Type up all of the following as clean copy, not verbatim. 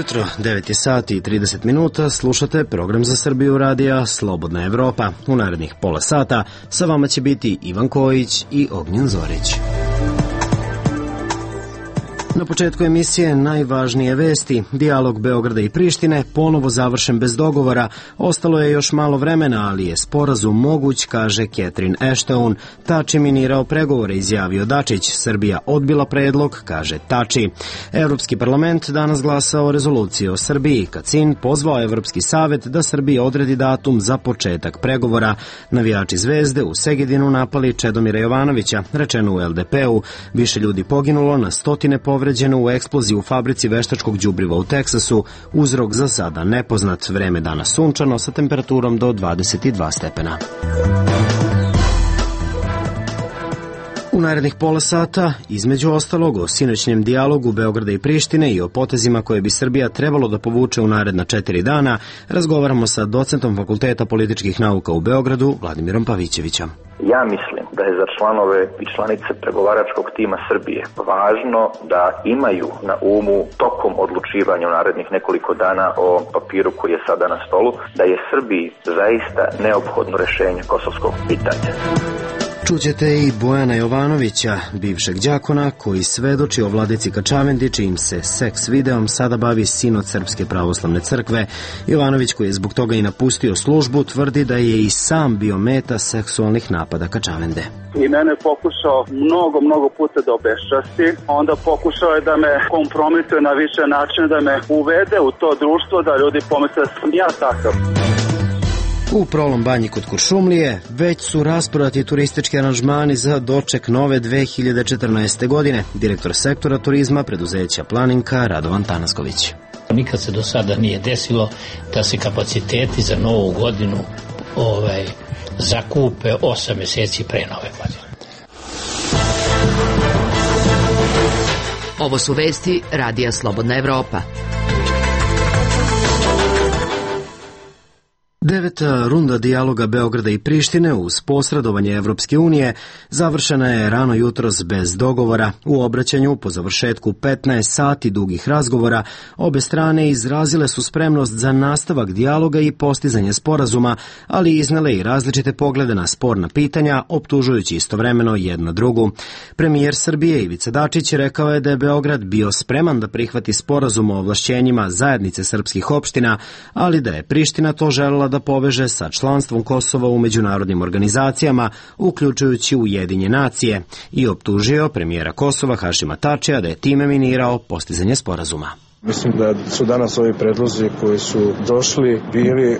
jutro, 9 je sati i 30 minuta, slušate program za Srbiju radija Slobodna Evropa. U narednih pola sata sa vama će biti Ivan Kojić i Ognjen Zorić. Na početku emisije najvažnije vesti. Dijalog Beograda i Prištine ponovo završen bez dogovora. Ostalo je još malo vremena, ali je sporazum moguć, kaže Catherine Ashton. Tači minirao pregovore, izjavio Dačić. Srbija odbila predlog, kaže Tači. Evropski parlament danas glasao o rezoluciji o Srbiji. Kacin pozvao Evropski savet da Srbiji odredi datum za početak pregovora. Navijači Zvezde u Segedinu napali Čedomira Jovanovića, rečeno u LDP-u. Više ljudi poginulo, na stotine povređeno u eksploziji u fabrici veštačkog đubriva u Teksasu. Uzrok za sada nepoznat. Vreme danas sunčano sa temperaturom do 22 stepena. U narednih pola sata, između ostalog, o sinoćnjem dijalogu Beograda i Prištine i o potezima koje bi Srbija trebalo da povuče u naredna 4 dana, razgovaramo sa docentom Fakulteta političkih nauka u Beogradu, Vladimirom Pavićevićem. Ja mislim da je za članove i članice pregovaračkog tima Srbije važno da imaju na umu tokom odlučivanja u narednih nekoliko dana o papiru koji je sada na stolu, da je Srbiji zaista neophodno rešenje kosovskog pitanja. Čućete i Bojana Jovanovića, bivšeg đakona, koji svedoči o vladici Kačavendi, čijim se seks videom sada bavi sinod Srpske pravoslavne crkve. Jovanović, koji je zbog toga i napustio službu, tvrdi da je i sam bio meta seksualnih napada Kačavende. I mene je pokušao mnogo puta da obeščasti, onda pokušao je da me kompromituje na više načina, da me uvede u to društvo, da ljudi pomisle da sam ja takav. U Prolom Banji kod Kuršumlije već su rasprodati turistički aranžmani za doček nove 2014. godine. Direktor sektora turizma preduzeća Planinka Radovan Tanasković. Nikad se do sada nije desilo da se kapaciteti za novu godinu zakupe 8 meseci pre nove godine. Ovo su vesti Radija Slobodna Evropa. 9. runda dijaloga Beograda i Prištine uz posredovanje Evropske unije završena je rano jutros bez dogovora. U obraćanju po završetku 15 sati dugih razgovora obe strane izrazile su spremnost za nastavak dijaloga i postizanje sporazuma, ali iznele i različite poglede na sporna pitanja, optužujući istovremeno jedna drugu. Premijer Srbije Ivica Dačić rekao je da je Beograd bio spreman da prihvati sporazum o ovlašćenjima zajednice srpskih opština, ali da je Priština to želela da poveže sa članstvom Kosova u međunarodnim organizacijama, uključujući Ujedinjene nacije, i optužio premijera Kosova Hašima Tačija da je time minirao postizanje sporazuma. Mislim da su danas ovi predlozi koji su došli bili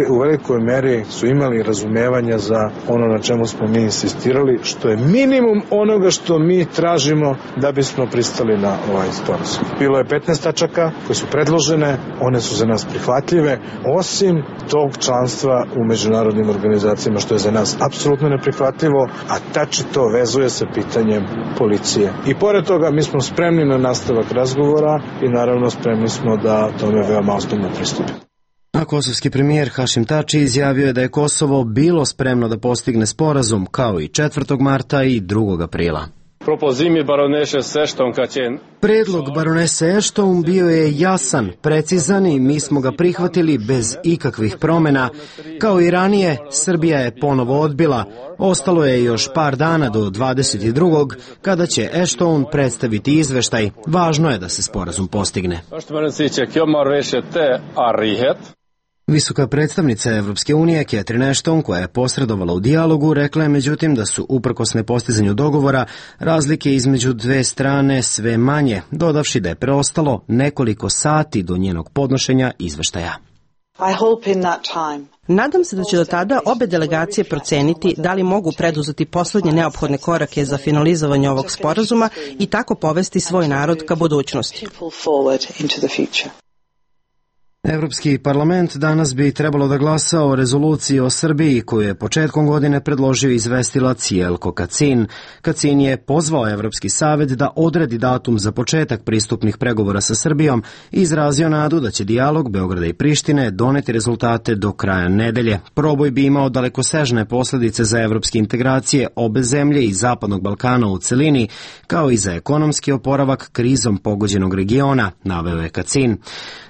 u velikoj meri su imali razumevanja za ono na čemu smo mi insistirali, što je minimum onoga što mi tražimo da bismo pristali na ovaj sporazum. Bilo je 15 tačaka koje su predložene, one su za nas prihvatljive, osim tog članstva u međunarodnim organizacijama, što je za nas apsolutno neprihvatljivo, a Tači to vezuje sa pitanjem policije. I pored toga mi smo spremni na nastavak razgovora i naravno spremni smo da tome veoma ozbiljno pristupimo. A kosovski premijer Hašim Tači izjavio je da je Kosovo bilo spremno da postigne sporazum kao i 4. marta i 2. aprila. Predlog baronese Ashton bio je jasan, precizan i mi smo ga prihvatili bez ikakvih promena. Kao i ranije, Srbija je ponovo odbila. Ostalo je još par dana do 22. kada će Ashton predstaviti izveštaj. Važno je da se sporazum postigne. Visoka predstavnica Evropske unije Catherine Ashton, koja je posredovala u dijalogu, rekla je međutim da su uprkos nepostizanju dogovora razlike između dve strane sve manje, dodavši da je preostalo nekoliko sati do njenog podnošenja izveštaja. Nadam se da će do tada obe delegacije proceniti da li mogu preduzeti poslednje neophodne korake za finalizovanje ovog sporazuma i tako povesti svoj narod ka budućnosti. Evropski parlament danas bi trebalo da glasa o rezoluciji o Srbiji koju je početkom godine predložio izvestilac Jelko Kacin. Kacin je pozvao Evropski savet da odredi datum za početak pristupnih pregovora sa Srbijom i izrazio nadu da će dijalog Beograda i Prištine doneti rezultate do kraja nedelje. Proboj bi imao dalekosežne posledice za evropske integracije obe zemlje i Zapadnog Balkana u celini, kao i za ekonomski oporavak krizom pogođenog regiona, naveo je Kacin.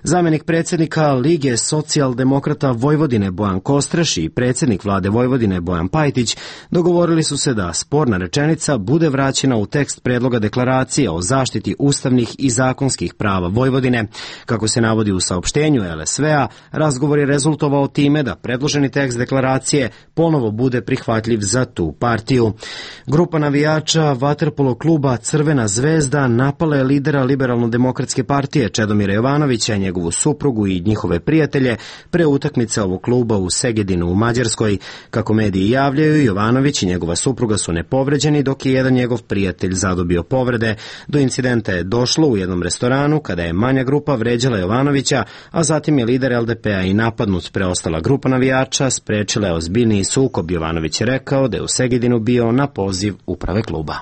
Zamenik predsjednika Lige socijaldemokrata Vojvodine Bojan Kostreš i predsjednik vlade Vojvodine Bojan Pajtić dogovorili su se da sporna rečenica bude vraćena u tekst predloga deklaracije o zaštiti ustavnih i zakonskih prava Vojvodine. Kako se navodi u saopštenju LSV-a, razgovor je rezultovao time da predloženi tekst deklaracije ponovo bude prihvatljiv za tu partiju. Grupa navijača vaterpolo kluba Crvena zvezda napala je lidera Liberalno-demokratske partije Čedomira Jovanovića, njegovu suprugu i njihove prijatelje pre utakmice ovog kluba u Segedinu u Mađarskoj. Kako mediji javljaju, Jovanović i njegova supruga su nepovređeni, dok je jedan njegov prijatelj zadobio povrede. Do incidenta je došlo u jednom restoranu kada je manja grupa vređala Jovanovića, a zatim je lider LDP-a i napadnut. Preostala grupa navijača sprečila je ozbiljniji sukob. Jovanović je rekao da je u Segedinu bio na poziv uprave kluba.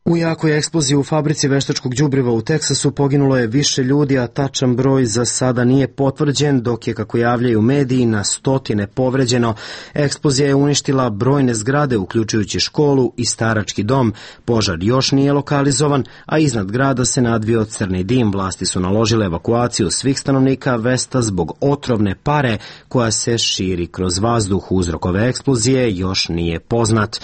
U jakoj eksploziji u fabrici veštačkog đubriva u Teksasu poginulo je više ljudi, a tačan broj za sada nije potvrđen, dok je, kako javljaju mediji, na stotine povređeno. Eksplozija je uništila brojne zgrade, uključujući školu i starački dom. Požar još nije lokalizovan, a iznad grada se nadvio crni dim. Vlasti su naložile evakuaciju svih stanovnika Vesta zbog otrovne pare koja se širi kroz vazduh. Uzrok ove eksplozije još nije poznat.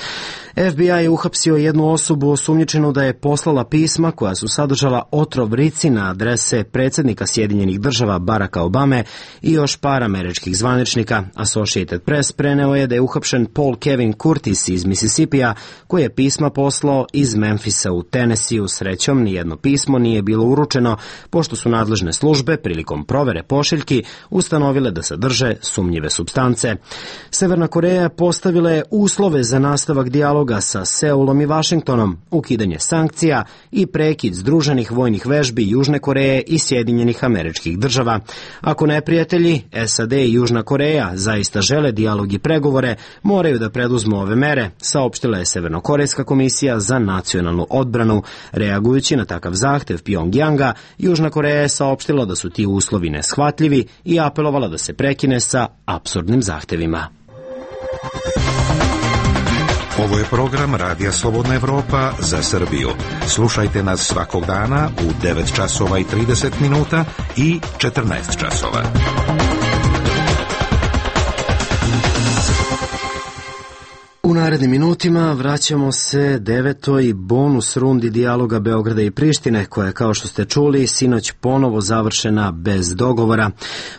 FBI je uhapsio jednu osobu osumnjičenu da je poslala pisma koja su sadržala otrov rici na adrese predsjednika Sjedinjenih država Baracka Obame i još par američkih zvaničnika. Associated Press preneo je da je uhapšen Paul Kevin Curtis iz Mississippija, koji je pisma poslao iz Memfisa u Tennessee. Srećom, nijedno pismo nije bilo uručeno, pošto su nadležne službe prilikom provere pošiljki ustanovile da sadrže sumnjive supstance. Severna Koreja postavila je uslove za nastavak dijaloga sa Seulom i Vašingtonom, ukidanje sankcija i prekid združenih vojnih vežbi Južne Koreje i Sjedinjenih Američkih Država. Ako neprijatelji, SAD i Južna Koreja, zaista žele dijalog i pregovore, moraju da preduzmu ove mere, saopštila je Severnokorejska komisija za nacionalnu odbranu. Reagujući na takav zahtev Pjongjanga, Južna Koreja je saopštila da su ti uslovi neshvatljivi i apelovala da se prekine sa apsurdnim zahtevima. Ovo je program Radija Slobodna Evropa za Srbiju. Slušajte nas svakog dana u 9 časova i 30 minuta i 14 časova. U narednim minutima vraćamo se 9. bonus rundi dijaloga Beograda i Prištine, koja je, kao što ste čuli, sinoć ponovo završena bez dogovora.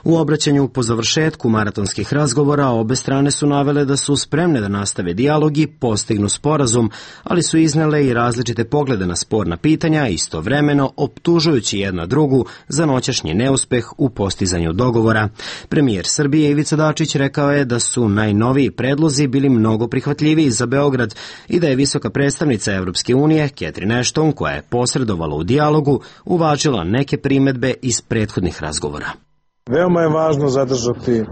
U obraćanju po završetku maratonskih razgovora obe strane su navele da su spremne da nastave dijalog i postignu sporazum, ali su iznele i različite poglede na sporna pitanja, istovremeno optužujući jedna drugu za noćašnji neuspeh u postizanju dogovora. Premijer Srbije Ivica Dačić rekao je da su najnoviji predlozi bili mnogo prihvatljiviji za Beograd i da je visoka predstavnica Evropske unije, Catherine Ashton, koja je posredovala u dijalogu, uvažila neke primedbe iz prethodnih razgovora. Veoma je važno zadržati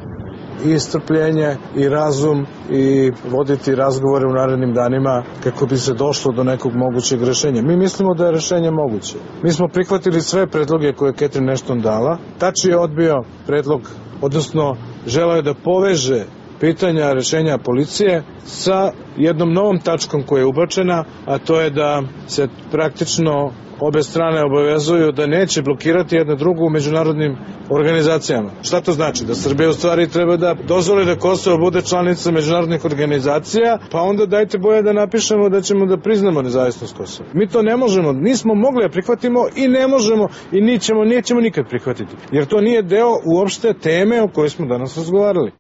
i strpljenje i razum i voditi razgovore u narednim danima kako bi se došlo do nekog mogućeg rešenja. Mi mislimo da je rešenje moguće. Mi smo prihvatili sve predloge koje je Catherine Ashton dala. Tači je odbio predlog, odnosno želeo je da poveže pitanja rešenja policije sa jednom novom tačkom koja je ubačena, a to je da se praktično obe strane obavezuju da neće blokirati jedna drugu u međunarodnim organizacijama. Šta to znači? Da Srbija u stvari treba da dozvoli da Kosovo bude članica međunarodnih organizacija, pa onda dajte boje da napišemo da ćemo da priznamo nezavisnost Kosova. Mi to ne možemo, nismo mogli da prihvatimo i ne možemo i nećemo nikad prihvatiti, jer to nije deo uopšte teme o kojoj smo danas razgovarali.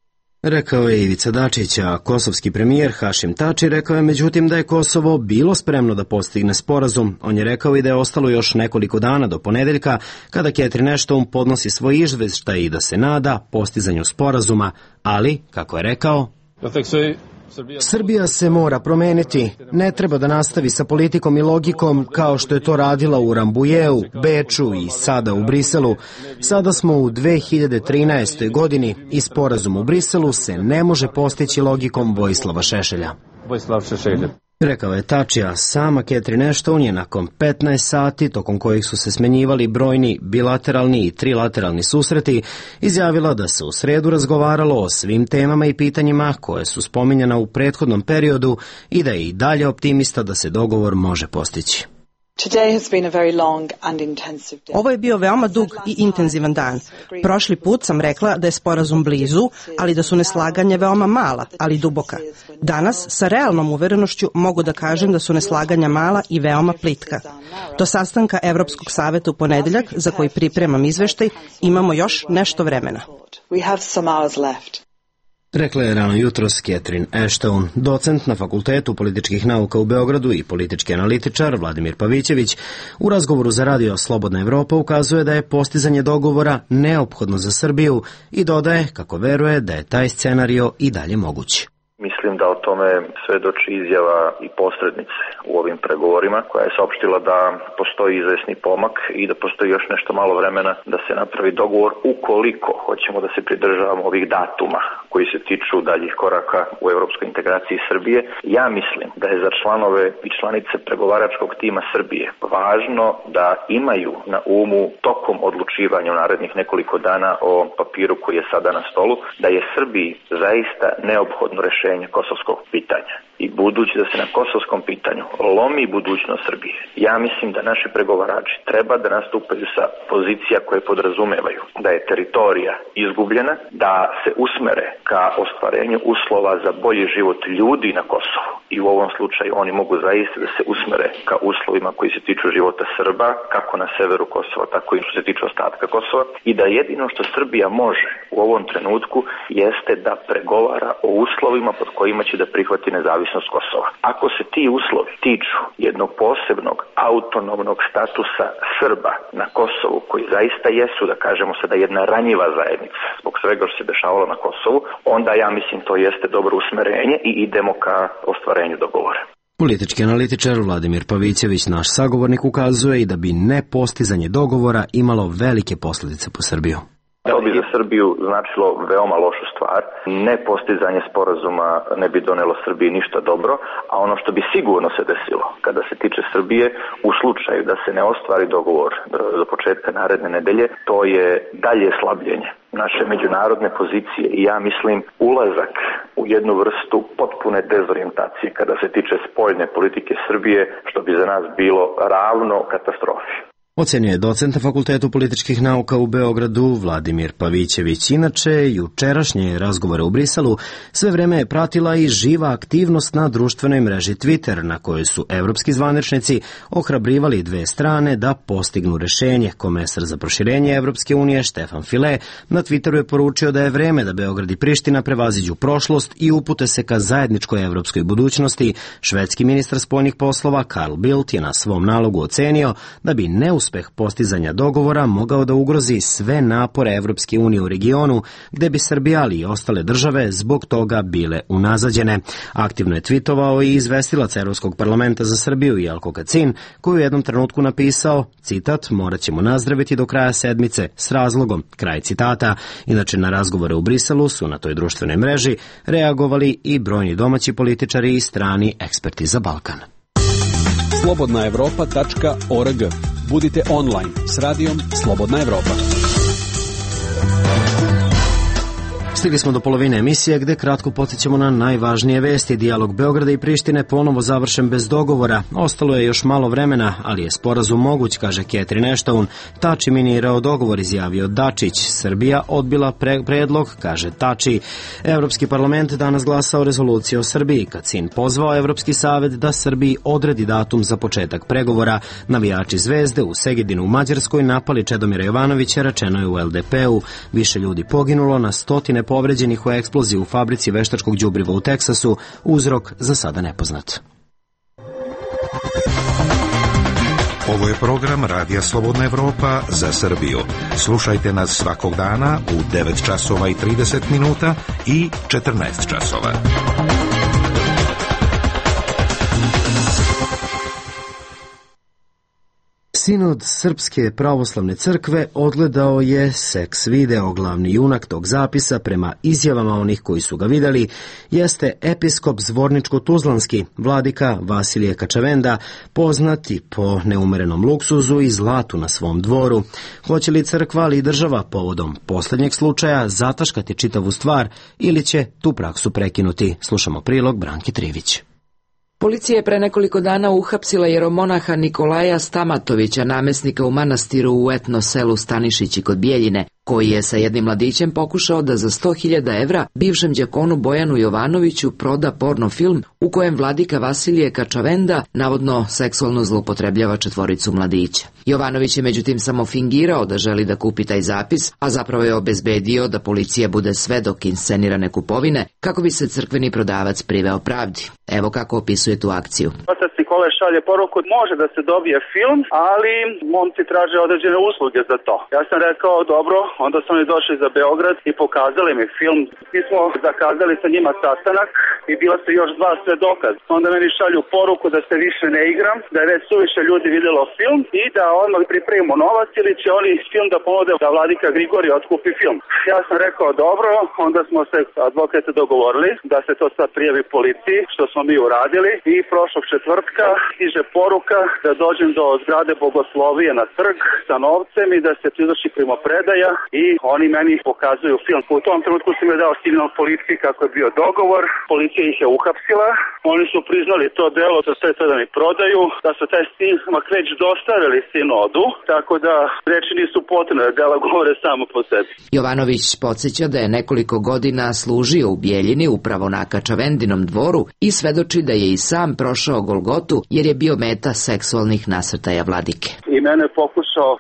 Rekao je Ivica Dačić, a kosovski premijer Hašim Tači rekao je međutim da je Kosovo bilo spremno da postigne sporazum. On je rekao i da je ostalo još nekoliko dana do ponedeljka kada Catherine Ashton podnosi svoj izveštaj i da se nada postizanju sporazuma, ali, kako je rekao, Srbija se mora promeniti. Ne treba da nastavi sa politikom i logikom kao što je to radila u Rambujeu, Beču i sada u Briselu. Sada smo u 2013. godini i sporazum u Briselu se ne može postići logikom Vojislava Šešelja. Rekao je Tačija. Sama Catherine Ashton je nakon 15 sati, tokom kojih su se smenjivali brojni bilateralni i trilateralni susreti, izjavila da se u sredu razgovaralo o svim temama i pitanjima koje su spominjana u prethodnom periodu i da je i dalje optimista da se dogovor može postići. Ovo je bio veoma dug i intenzivan dan. Prošli put sam rekla da je sporazum blizu, ali da su neslaganja veoma mala, ali duboka. Danas, sa realnom uverenošću, mogu da kažem da su neslaganja mala i veoma plitka. Do sastanka Evropskog saveta u ponedeljak, za koji pripremam izveštaj, imamo još nešto vremena. Rekla je rano jutros Catherine Ashton. Docent na Fakultetu političkih nauka u Beogradu i politički analitičar Vladimir Pavićević u razgovoru za radio Slobodna Evropa ukazuje da je postizanje dogovora neophodno za Srbiju i dodaje kako veruje da je taj scenario i dalje moguć. Mislim da o tome svedoči izjava i posrednice u ovim pregovorima, koja je saopštila da postoji izvesni pomak i da postoji još nešto malo vremena da se napravi dogovor ukoliko hoćemo da se pridržavamo ovih datuma koji se tiču daljih koraka u evropskoj integraciji Srbije. Ja mislim da je za članove i članice pregovaračkog tima Srbije važno da imaju na umu tokom odlučivanja u narednih nekoliko dana o papiru koji je sada na stolu, da je Srbiji zaista neophodno rešenje kosovskog pitanja. I budući da se na kosovskom pitanju lomi budućnost Srbije, ja mislim da naši pregovarači treba da nastupaju sa pozicija koje podrazumevaju da je teritorija izgubljena, da se usmere ka ostvarenju uslova za bolji život ljudi na Kosovu. I u ovom slučaju oni mogu zaista da se usmere ka uslovima koji se tiču života Srba, kako na severu Kosova, tako i što se tiče ostatka Kosova. I da jedino što Srbija može u ovom trenutku jeste da pregovara o uslovima pod kojima će da prihvati nezavisnost Kosova. Ako se ti uslovi tiču jednog posebnog autonomnog statusa Srba na Kosovu, koji zaista jesu, da kažemo sada, jedna ranjiva zajednica zbog svega što se dešavalo na Kosovu, onda ja mislim to jeste dobro usmerenje i idemo ka ostvarenju dogovora. Politički analitičar Vladimir Pavićević, naš sagovornik, ukazuje i da bi nepostizanje dogovora imalo velike posljedice po Srbiju. To bi za Srbiju značilo veoma lošu stvar. Nepostizanje sporazuma ne bi donelo Srbiji ništa dobro, a ono što bi sigurno se desilo kada se tiče Srbije, u slučaju da se ne ostvari dogovor do početka naredne nedelje, to je dalje slabljenje naše međunarodne pozicije i ja mislim ulazak u jednu vrstu potpune dezorijentacije kada se tiče spoljne politike Srbije, što bi za nas bilo ravno katastrofi. Ocenio je docent na Fakultetu političkih nauka u Beogradu Vladimir Pavićević. Inače, jučerašnje razgovore u Briselu sve vreme je pratila i živa aktivnost na društvenoj mreži Twitter, na kojoj su evropski zvaničnici ohrabrivali dve strane da postignu rešenje. Komesar za proširenje Evropske unije Štefan File na Twitteru je poručio da je vreme da Beograd i Priština prevaziđu prošlost i upute se ka zajedničkoj evropskoj budućnosti. Švedski ministar spoljnih poslova Carl Bildt je na svom nalogu ocenio da bi neuspeh postizanja dogovora mogao da ugrozi sve napore Evropske unije u regionu, gde bi Srbija ali i ostale države zbog toga bile unazađene. Aktivno je tvitovao i izvestilac Evropskog parlamenta za Srbiju Jelko Kacin, koji u jednom trenutku napisao, citat, morat ćemo nazdraviti do kraja sedmice s razlogom, kraj citata. Inače, na razgovore u Briselu su na toj društvenoj mreži reagovali i brojni domaći političari i strani eksperti za Balkan. slobodnaevropa.org. Budite online s radijom Slobodna Evropa. Stigli smo do polovine emisije gde kratko podsjećamo na najvažnije vesti. Dijalog Beograda i Prištine ponovo završen bez dogovora. Ostalo je još malo vremena, ali je sporazum moguć, kaže Catherine Ashton. Tači minirao dogovor, izjavio Dačić. Srbija odbila predlog, kaže Tači. Evropski parlament danas glasao rezoluciju o Srbiji. Kacin pozvao Evropski savet da Srbiji odredi datum za početak pregovora. Navijači Zvezde u Segedinu u Mađarskoj napali Čedomira Jovanovića, rečeno je u LDP-u. Više ljudi poginulo, na stotine povređenih u eksploziji u fabrici veštačkog đubriva u Teksasu, uzrok za sada nepoznat. Ovo je program Radija Slobodna Evropa za Srbiju. Slušajte nas svakog dana u 9 časova i 30 minuta i 14 časova. Sinod Srpske pravoslavne crkve odgledao je seks video. Glavni junak tog zapisa, prema izjavama onih koji su ga vidjeli, jeste episkop Zvorničko-Tuzlanski, vladika Vasilije Kačavenda, poznati po neumerenom luksuzu i zlatu na svom dvoru. Hoće li crkva, ali i država povodom posljednjeg slučaja zataškati čitavu stvar ili će tu praksu prekinuti? Slušamo prilog Branki Trivić. Policija je pre nekoliko dana uhapsila jeromonaha Nikolaja Stamatovića, namesnika u manastiru u etno selu Stanišići kod Bijeljine, koji je sa jednim mladićem pokušao da za 100.000 evra bivšem đakonu Bojanu Jovanoviću proda porno film u kojem vladika Vasilije Kačavenda navodno seksualno zloupotrebljava četvoricu mladića. Jovanović je međutim samo fingirao da želi da kupi taj zapis, a zapravo je obezbedio da policija bude svedok inscenirane kupovine kako bi se crkveni prodavac priveo pravdi. Evo kako opisuje tu akciju. Otac Nikolaj šalje poruku, može da se dobije film, ali momci traže određene usluge za to. Ja sam rekao, dobro, onda su oni došli za Beograd i pokazali mi film. Mi smo zakazali sa njima sastanak i bila su još 2 svedoka. Onda meni šalju poruku da se više ne igram, da je već suviše ljudi vidjelo film i da odmah pripremimo novac ili će oni film da ponude da vladika Grigorije otkupi film. Ja sam rekao, dobro, onda smo se advokate dogovorili da se to sad prijavi policiji, što smo mi uradili, i prošlog četvrtka stiže poruka da dođem do zgrade Bogoslovije na trg sa novcem i da se izvrši primopredaja i oni meni pokazuju film. U tom trenutku sam je dao signal policiji kako je bio dogovor, policija ih je uhapsila, oni su priznali to delo da sve to da mi prodaju, da su taj snimak već dostavili sinodu, tako da reči nisu potrebne, dela govore samo po sebi. Jovanović podsjeća da je nekoliko godina služio u Bijeljini upravo na Kačavendinom dvoru i svedoči da je i sam prošao Golgotu jer je bio meta seksualnih nasrtaja vladike. I mene pokušao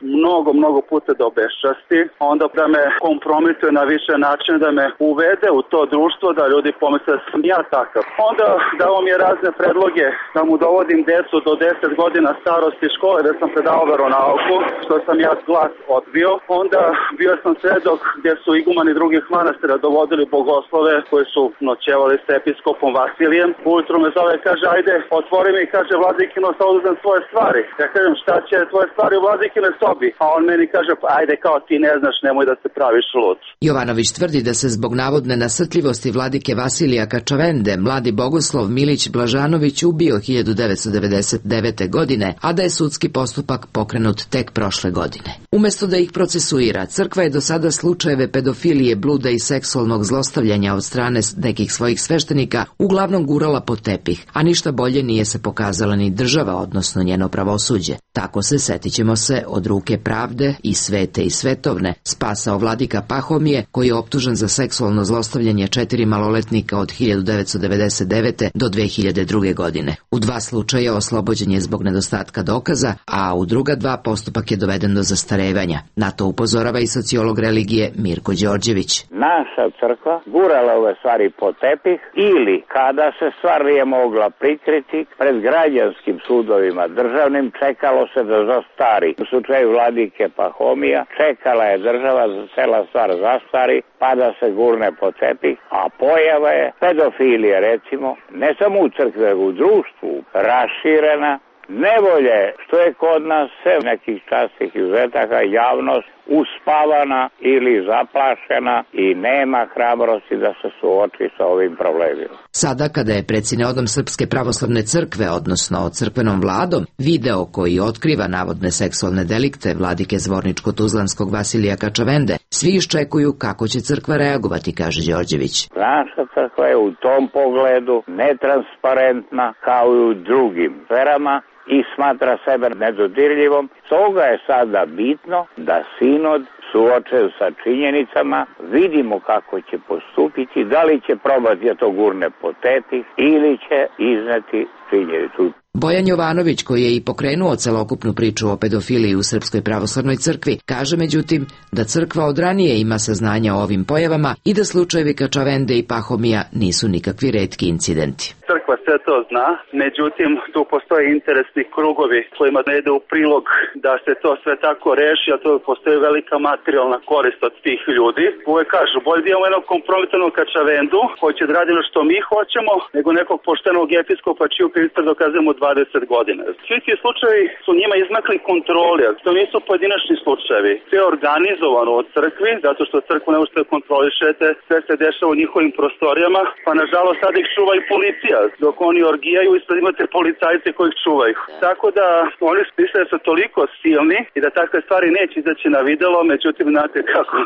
mnogo puta da obeščasti, onda da me kompromituje na više načina, da me uvede u to društvo, da ljudi pomisle da sam ja takav. Onda dao mi je razne predloge da mu dovodim decu do 10 godina starosti škole, da sam predao veronauku, što sam ja glas odbio. Onda bio sam svedok gdje su igumani drugih manastira dovodili bogoslove koji su noćevali sa episkopom Vasilijem. Ujutro me zove, kaže, ajde, otvori mi, kaže, vladikino, sad uzem svoje stvari. Ja kažem, šta će tvoje stvari u vladikine sobi? A on meni kaže, pa ajde, kao ti ne znaš, nemoj da se praviš lud. Jovanović tvrdi da se zbog navodne nasrtljivosti vladike Vasilija Kačavende mladi bogoslov Milić Blažanović ubio 1999. godine, a da je sudski postupak pokrenut tek prošle godine. Umesto da ih procesuira, crkva je do sada slučajeve pedofilije, bluda i seksualnog zlostavljanja od strane nekih svojih sveštenika uglavnom gurala pod tepih, a ništa bolje nije se pokazala ni država, odnosno njeno pravosuđe. Tako se, setićemo se, od ruke pravde i svete i svetovne spasao vladika Pahomije, koji je optužen za seksualno zlostavljanje 4 maloletnika od 1999. do 2002. godine. U 2 slučaja oslobođen je zbog nedostatka dokaza, a u druga 2 postupak je doveden do zastarevanja. Na to upozorava i sociolog religije Mirko Đorđević. Naša crkva gurala ove stvari po tepih ili kada se stvar nije mogla prikriti pred građanskim sudovima državnim, čekalo se da zastari. U slučaju vladike Pahomija čekala je država da cela stvar zastari pa da se gurne po tepih, a pojava je pedofilije, recimo, ne samo u crkvi, nego u društvu, raširena. Nevolje što je kod nas sve nekih častih izuzetaka javnost uspavana ili zaplašena i nema hrabrosti da se suoči sa ovim problemima. Sada kada je pred Sinodom Srpske pravoslavne crkve, odnosno crkvenom vladom, video koji otkriva navodne seksualne delikte vladike Zvorničko-Tuzlanskog Vasilija Kačavende, svi iščekuju kako će crkva reagovati, kaže Đorđević. Naša crkva je u tom pogledu netransparentna kao i u drugim sferama i smatra sebe nedodirljivom. Stoga je sada bitno da sinod suočen sa činjenicama, vidimo kako će postupiti, da li će probati da to gurne po tepih ili će izneti činjenicu. Bojan Jovanović, koji je i pokrenuo celokupnu priču o pedofiliji u Srpskoj pravoslavnoj crkvi, kaže međutim da crkva od ranije ima saznanja o ovim pojavama i da slučajevi Kačavende i Pahomija nisu nikakvi retki incidenti. Crkva sve to zna, međutim tu postoje interesni krugovi kojima ne ide u prilog da se to sve tako reši, a to postoji velika materijalna korist od tih ljudi. Uvek kažu, bolje da imamo jednog kompromitanog Kačavendu koji će da radi što mi hoćemo, nego nekog poštenog episkopa čiju krivice dokazujemo 20 godina. Svi ti slučajevi su njima izmakli kontroli, a to nisu pojedinačni slučajevi. Sve je organizovano od crkvi, zato što crkvu ne možete kontrolišete, sve se dešava u njihovim prostorijama, pa nažalost sad ih čuva i policija, dok oni orgijaju i sad imate policajce koji ih čuvaju. Tako da oni misle da su toliko silni i da takve stvari neće izaći na videlo, međutim znate kako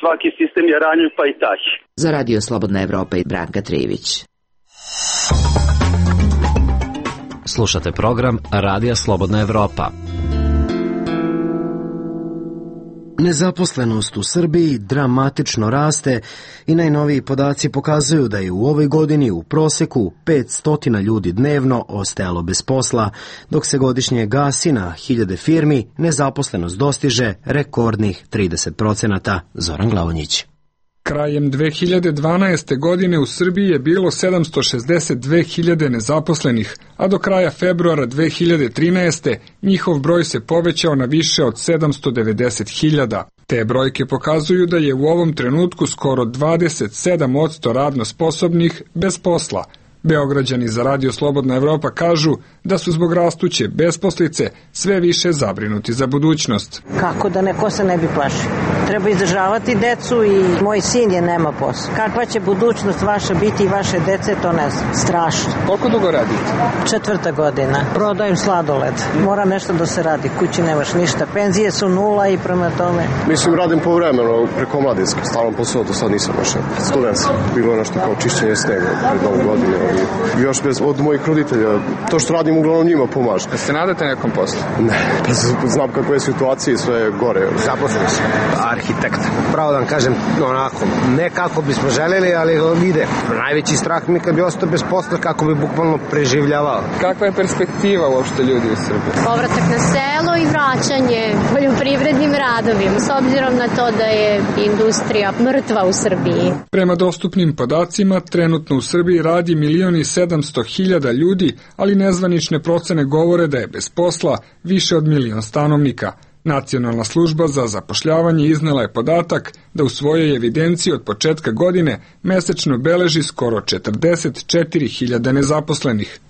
svaki sistem je ranjiv, pa i taj. Za Radio Slobodna Evropa i Branka Trivić. Slušate program Radija Slobodna Evropa. Nezaposlenost u Srbiji dramatično raste i najnoviji podaci pokazuju da je u ovoj godini u proseku 500 ljudi dnevno ostajalo bez posla, dok se godišnje gasi na 1000 firmi, nezaposlenost dostiže rekordnih 30%. Zoran Glavonjić. Krajem 2012. godine u Srbiji je bilo 762.000 nezaposlenih, a do kraja februara 2013. njihov broj se povećao na više od 790.000. Te brojke pokazuju da je u ovom trenutku skoro 27% radno sposobnih bez posla. Beograđani za Radio Slobodna Evropa kažu da su zbog rastuće besposlice sve više zabrinuti za budućnost. Kako da neko se ne bi plašio? Treba izdržavati decu i moj sin je nema posla. Kakva će budućnost vaša biti i vaše dece, to ne znam. Strašno. Koliko dugo radite? 4. godina. Prodajem sladoled. Mora nešto da se radi. Kući nemaš ništa. Penzije su 0 i prema tome. Mislim, radim povremeno preko mladinske. Stalno posao, do sad nisam baš student. Bilo je nešto kao čišćenje snega pred novu godinu. Još bez od mojih roditelja. To što radim uglavnom njima pomaže. Se nadate nekom poslu? Ne. Znam kakve je situacije, sve je gore. Zaposlen sam. Arhitekt. Pravo da vam kažem, onako, ne kako bismo želeli, ali ide. Najveći strah mi kad bi ostao bez posla, kako bi bukvalno preživljavao. Kakva je perspektiva uopšte ljudi u Srbiji? Povratak na selo i vraćanje poljoprivrednim radovima, s obzirom na to da je industrija mrtva u Srbiji. Prema dostupnim podacima, trenutno u Srbiji radi 1.700.000 ljudi, ali nezvanične procene govore da je bez posla više od 1.000.000 stanovnika. Nacionalna služba za zapošljavanje iznela je podatak da u svojoj evidenciji od početka godine mesečno beleži skoro 44.000 nezaposlenih.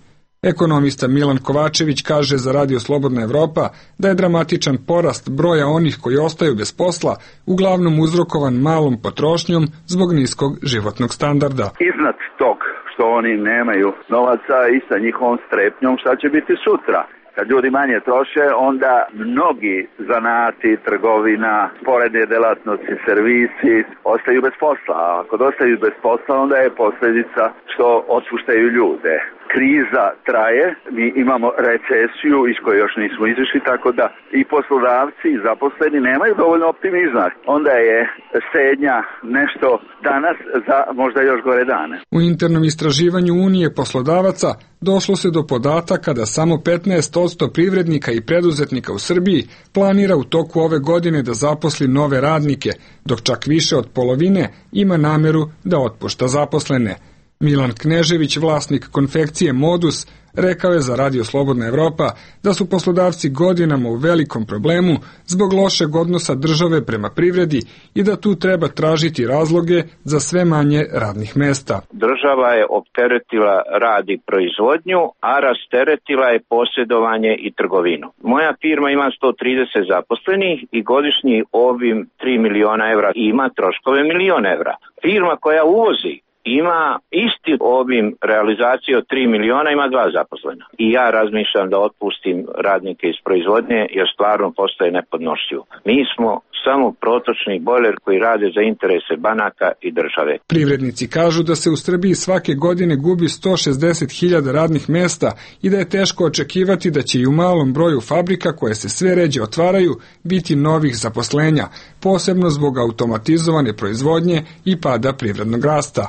Ekonomista Milan Kovačević kaže za Radio Slobodna Evropa da je dramatičan porast broja onih koji ostaju bez posla uglavnom uzrokovan malom potrošnjom zbog niskog životnog standarda. Iznad tog što oni nemaju novaca i sa njihovom strepnjom šta će biti sutra. Kad ljudi manje troše, onda mnogi zanati, trgovina, sporedne delatnosti, servisi ostaju bez posla. A ako ostaju bez posla, onda je posljedica što otpuštaju ljude. Kriza traje, mi imamo recesiju iz koje još nismo izašli, tako da i poslodavci i zaposleni nemaju dovoljno optimizma. Onda je štednja nešto danas za možda još gore dane. U internom istraživanju Unije poslodavaca došlo se do podataka da samo 15% privrednika i preduzetnika u Srbiji planira u toku ove godine da zaposli nove radnike, dok čak više od polovine ima nameru da otpušta zaposlene. Milan Knežević, vlasnik konfekcije Modus, rekao je za Radio Slobodna Evropa da su poslodavci godinama u velikom problemu zbog lošeg odnosa države prema privredi i da tu treba tražiti razloge za sve manje radnih mesta. Država je opteretila rad i proizvodnju, a rasteretila je posjedovanje i trgovinu. Moja firma ima 130 zaposlenih i godišnji obim 3 miliona evra i ima troškove 1 milion evra. Firma koja uvozi ima isti obim realizacije od 3 miliona, ima 2 zaposlena. I ja razmišljam da otpustim radnike iz proizvodnje jer stvarno postaje nepodnošljivo. Mi smo samo protočni bojler koji rade za interese banaka i države. Privrednici kažu da se u Srbiji svake godine gubi 160.000 radnih mesta i da je teško očekivati da će i u malom broju fabrika koje se sve ređe otvaraju biti novih zaposlenja, posebno zbog automatizovane proizvodnje i pada privrednog rasta.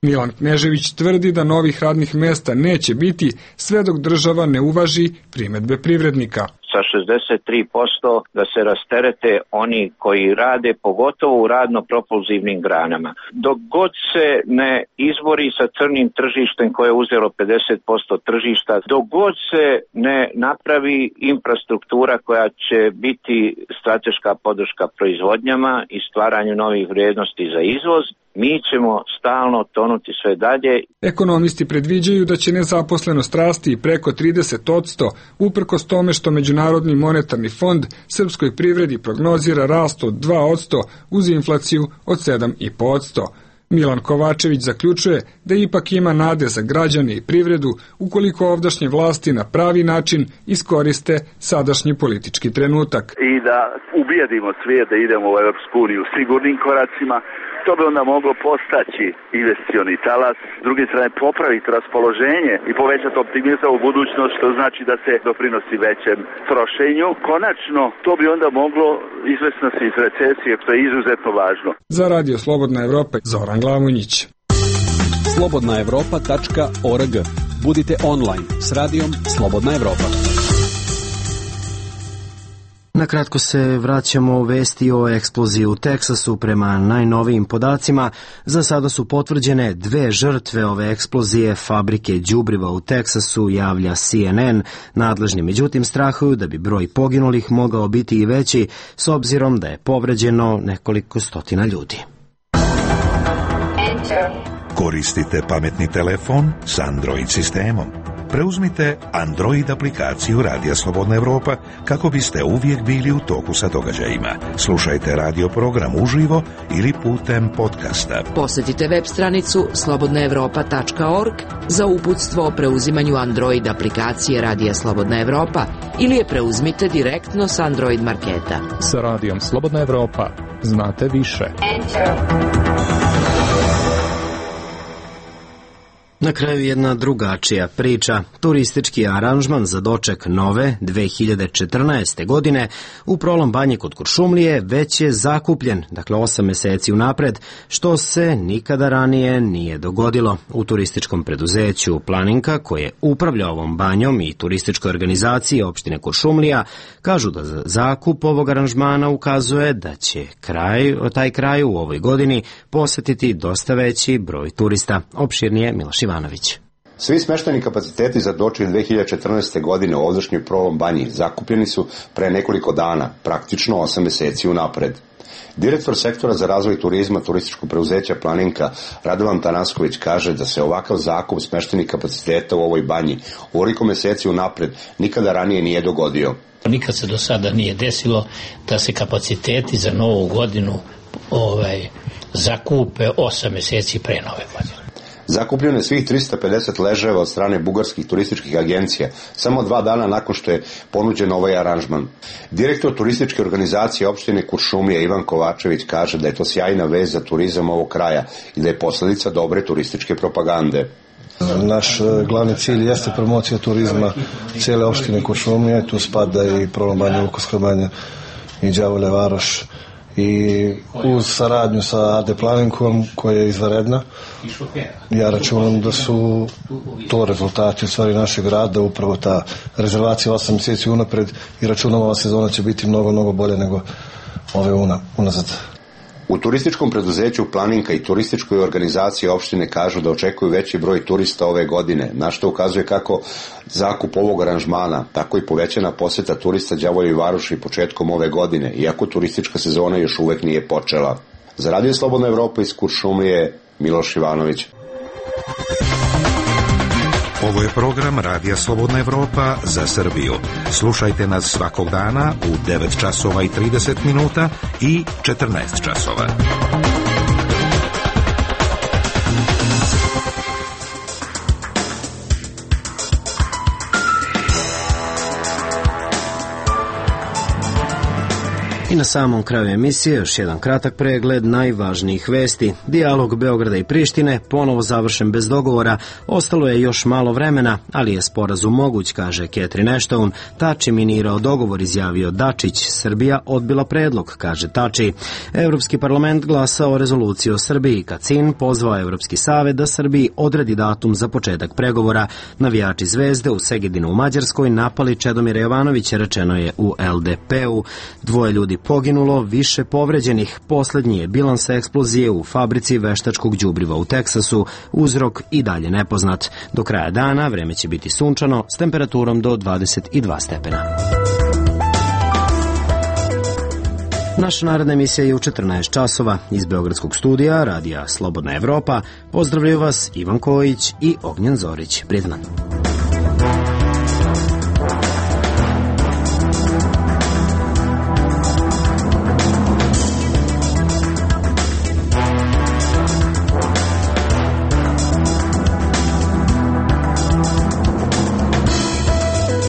Milan Knežević tvrdi da novih radnih mesta neće biti sve dok država ne uvaži primedbe privrednika. S sa 63%, da se rasterete oni koji rade, pogotovo u radno-propulzivnim granama. Dok god se ne izbori sa crnim tržištem koje je uzelo 50% tržišta, dok god se ne napravi infrastruktura koja će biti strateška podrška proizvodnjama i stvaranju novih vrijednosti za izvoz, mi ćemo stalno tonuti sve dalje. Ekonomisti predviđaju da će nezaposlenost rasti i preko 30%, uprkos tome što Međunarodni monetarni fond srpskoj privredi prognozira rast od 2% uz inflaciju od 7,5%. Milan Kovačević zaključuje da ipak ima nade za građane i privredu ukoliko ovdašnje vlasti na pravi način iskoriste sadašnji politički trenutak. I da ubijedimo svijet da idemo u Europsku uniju sigurnim koracima, to bi onda moglo postaći investicioni talas, s druge strane popraviti raspoloženje i povećati optimizam u budućnost, što znači da se doprinosi većem trošenju. Konačno, to bi onda moglo izvesti nas iz recesije, što je izuzetno važno. Za Radio Slobodna Evropa, Zoran Glamonjić. slobodnaevropa.org. Budite online s radijom Slobodna Evropa. Nakratko se vraćamo u vesti o eksploziji u Teksasu. Prema najnovijim podacima, za sada su potvrđene 2 žrtve ove eksplozije fabrike đubriva u Teksasu, javlja CNN. Nadležni međutim strahuju da bi broj poginulih mogao biti i veći, s obzirom da je povređeno nekoliko stotina ljudi. Koristite pametni telefon s Android sistemom. Preuzmite Android aplikaciju Radija Slobodna Evropa kako biste uvijek bili u toku sa događajima. Slušajte radio program uživo ili putem podcasta. Posjetite web stranicu slobodnaevropa.org za uputstvo o preuzimanju Android aplikacije Radija Slobodna Evropa ili je preuzmite direktno s Android marketa. Sa Radijom Slobodna Evropa znate više. Na kraju jedna drugačija priča. Turistički aranžman za doček nove 2014. godine u Prolom Banji kod Kuršumlije već je zakupljen, dakle 8 meseci unapred, što se nikada ranije nije dogodilo. U turističkom preduzeću Planinka, koje upravlja ovom banjom, i turističkoj organizaciji opštine Kuršumlija, kažu da za zakup ovog aranžmana ukazuje da će taj kraj u ovoj godini posetiti dosta veći broj turista. Opširnije Miloš Ivanović. Svi smešteni kapaciteti za doček 2014. godine u ovdašnjoj Prolom Banji zakupljeni su pre nekoliko dana, praktično 8 meseci unapred. Direktor sektora za razvoj turizma turističkog preuzeća Planinka Radovan Tanasković kaže da se ovakav zakup smeštenih kapaciteta u ovoj banji ovoliko meseci unapred nikada ranije nije dogodio. Nikad se do sada nije desilo da se kapaciteti za novu godinu zakupe 8 meseci pre nove godine. Zakupljeno je svih 350 ležajeva od strane bugarskih turističkih agencija, samo 2 dana nakon što je ponuđen ovaj aranžman. Direktor turističke organizacije opštine Kuršumlija Ivan Kovačević kaže da je to sjajna vest za turizam ovog kraja i da je posledica dobre turističke propagande. Naš glavni cilj jeste promocija turizma cijele opštine Kuršumlija, tu spada i Prolom Banja, Vukovska Banja i Đavolja Varoš. I uz saradnju sa AD Planinkom, koja je izvanredna, ja računam da su to rezultati u stvari našeg rada, upravo ta rezervacija 8 mjeseci unapred, i računam ova sezona će biti mnogo bolje nego ove unazad. U turističkom preduzeću Planinka i turističkoj organizaciji opštine kažu da očekuju veći broj turista ove godine, na što ukazuje kako zakup ovog aranžmana, tako i povećana poseta turista Đavoljoj Varoši početkom ove godine, iako turistička sezona još uvek nije počela. Za Radio Slobodna Evropa iz Kuršumlije, Miloš Ivanović. Ovo je program Radija Slobodna Evropa za Srbiju. Slušajte nas svakog dana u 9 časova i 30 minuta i 14 časova. I na samom kraju emisije još jedan kratak pregled najvažnijih vesti. Dijalog Beograda i Prištine ponovo završen bez dogovora, ostalo je još malo vremena, ali je sporazum moguć, kaže Catherine Ashton. Tači minirao dogovor, izjavio Dačić. Srbija odbila predlog, kaže Tači. Evropski parlament glasao o rezoluciji o Srbiji. Kacin pozvao Evropski savet da Srbiji odredi datum za početak pregovora. Navijači Zvezde u Segedinu u Mađarskoj napali Čedomira Jovanovića, rečeno je u LDP-u. 2 ljudi poginulo, više povređenih. Poslednji je bilans eksplozije u fabrici veštačkog đubriva u Teksasu. Uzrok i dalje nepoznat. Do kraja dana vreme će biti sunčano s temperaturom do 22 stepena. Naša naredna emisija je u 14 časova. Iz Beogradskog studija Radija Slobodna Evropa pozdravljaju vas Ivan Kojić i Ognjen Zorić. Prijatno.